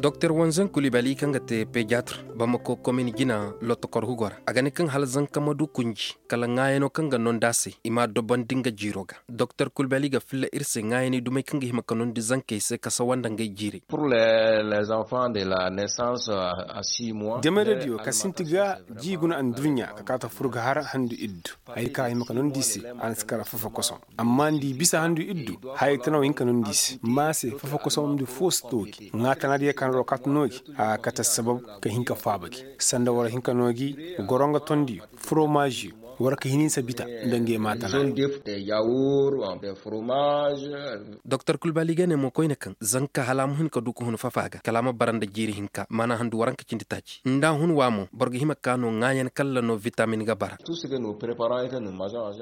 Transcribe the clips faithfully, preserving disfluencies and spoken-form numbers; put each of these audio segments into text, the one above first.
Doktor wanzen kulibali kaŋ ga te pediatre bamako komin jina lotokor hugo ra a ga ne kaŋ hala zanka ma du kunji kala ŋaayano kaŋ ga nondi a se i m'a dobandi nga jiiro ga. Doktor kulibali ga filla ir se ŋaayaney dumey kaŋ ga hima ka nondi zankey se ka sawa nda ngey jiirey. Jamayra diyo ka sinti ga ji guna anduɲɲa ka kaata fur ga har handu iddu. Haya kaŋ a hima ka nondi i se a na si kara fafa kosom. Amma nda i bisa handu iddu haya tana wo hin ka nondi i se ma se fafa kosom nda fo si toogi ŋaa tana diyo kaŋ ra wo kaata no gi. A ga kate assabab ka hin ka faaba gi sanda war hin ka no gi. Goronga tondiyo foromaziyo war ka hin hinsa bita nda ngey ma tana. Doktor kulbali ga ne mo koyne kaŋ zanka hala a ma hun ka du ka hun fafa ga kala a ma bara nda jiiri hinka maana handu waranka cindi taaci nda a hun wa mo boro ga hima ka no ŋaayan kalla no vitamin ga bara.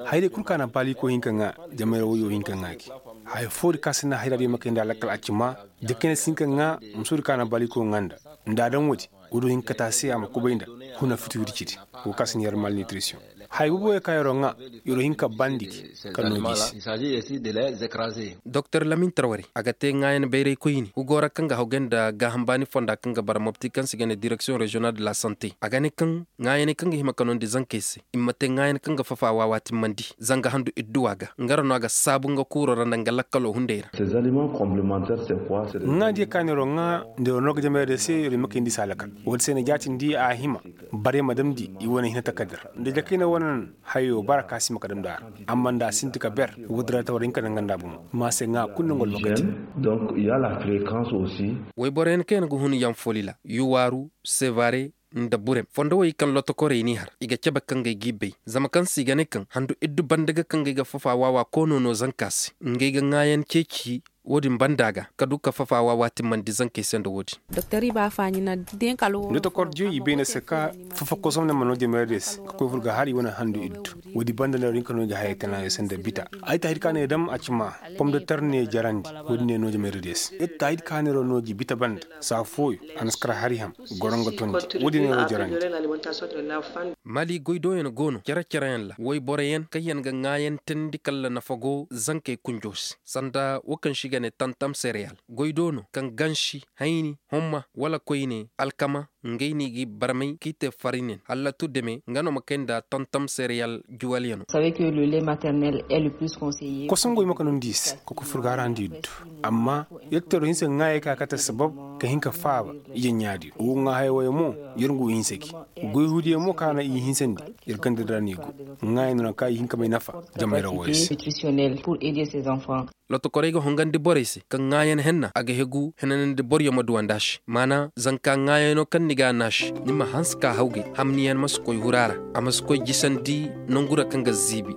Hayray kul ka na baalikoy hin ka ŋaa. Jamayra woyo hin ka ŋaa gi. Haya foo di ka si na hayra di ma kay nda a lakkal a ci maa. Jakayna si hin ka ŋaa. Muso di ka na baalikoy ŋaa nda nda a daŋ woodi. Woodi hin ka taa se a ma kubay nda huna fiti wirci di. Wo ka si na yer malnitrisiyoŋ. Haya boobo yer ka yeroo ŋaa yeroo hin ka bandi gi. Ka noo gi se. Doktor lamin tarwari a ga te ŋaayan bayraykoyni hugo ra kaŋ ga hawgay nda gaaham baani fonda kaŋ ga bara mopti kaŋ se i ga ne direksiyoŋ reziyonal de la sante a ga ne kaŋ ŋaayaney kaŋ ga hima ka nondi zankey se i ma te ŋaayan kaŋ ga fafa waawa timmandi zanga handu idduwa ga nga ra no a ga saabu nga kuuroo ra nda nga lakkaloo hunday ra. Ŋaa diyo ka neeroo ŋaa nda yeroo no ga jamayra diyo se yeroo i ma kayndi se a lakal. Woodi se na jaatindi a hima barey ma damndi i wane hina takarda ra nda jakayna wane no. Hayoo bara ka si ma ka damndi a ra. Amma nda a sinti ka ber woodi ra ta war hin ka danganda bomo. Ma se ŋaa kul nda nga alwakati. Woyboroyaŋ kaŋ yaŋ ga hun yanfolila yuwaaru sevare nda burem fondo wey kaŋ lotokorey n'i har i ga cabe kaŋ ga ay g'i bay. Zama kaŋ se i ga ne kaŋ handu iddu banda ga kaŋ ga ay ga fafa waawa koono no zanka se ngey ga ŋaayan ceeci. Woodin banda ga ka du ka fafa waawa timmandi zankey se nda woodin. Lotokordiyo i bay na se ka fafa kosom ne ma noo jamayra diyo se ka koy fur ga har i wane handu iddu. Woodin banda nda woodin ka noo i ga hayey tana yo se nda bita. Ay taahir ka ne dam a ci maa pomdatar ne jarandi. Woodin ne noo jamayra diyo se ita taahir ka ne ro noo gi bita banda saa fooyo. A na si kar hari ham goro nga tondi. Woodin ne ro jarandi. Mali goydooyaŋ go no cere-cereyaŋ ra woyboroyaŋ kaŋ yaŋ ga ŋaayantandi kala nafa go zankey kunjoo se sanda wo kaŋ se i ga ne tantam sereyal. Goydoo no kaŋ gansi hayni homma wala koyne alkama. Ngey no i ga i barmay k'i te farinen hallatu deme nga no ma kay nda tantam sereyal juwalyaŋo. Kosongo i ma ka nondi i se ka koy fur ga hara nda i du. Amma yer ga te ro hinsa ga ŋaayey ka kate sabab ka hin ka faaba. Ije ɲaadiyo wo ga ŋaa haya woyo mo yer ngu hinsa gi. Goy huudiyo mo ka na i hinsandi yer ganda di ra no i go. Ŋaayey no na ka i hin ka may nafa. Jamayra woyo se. Lotokorey ga hongandi borey se kaŋ ŋaayan henna a ga hegu henanandi boryo ma duwandi a se. Maana zanka ŋaayano kaŋ ni ga a naasi ni ma hanse ka hawgay hamniyan ma si koy hura ra. A ma si koy jisandi nongu ra kaŋ ga ziibi.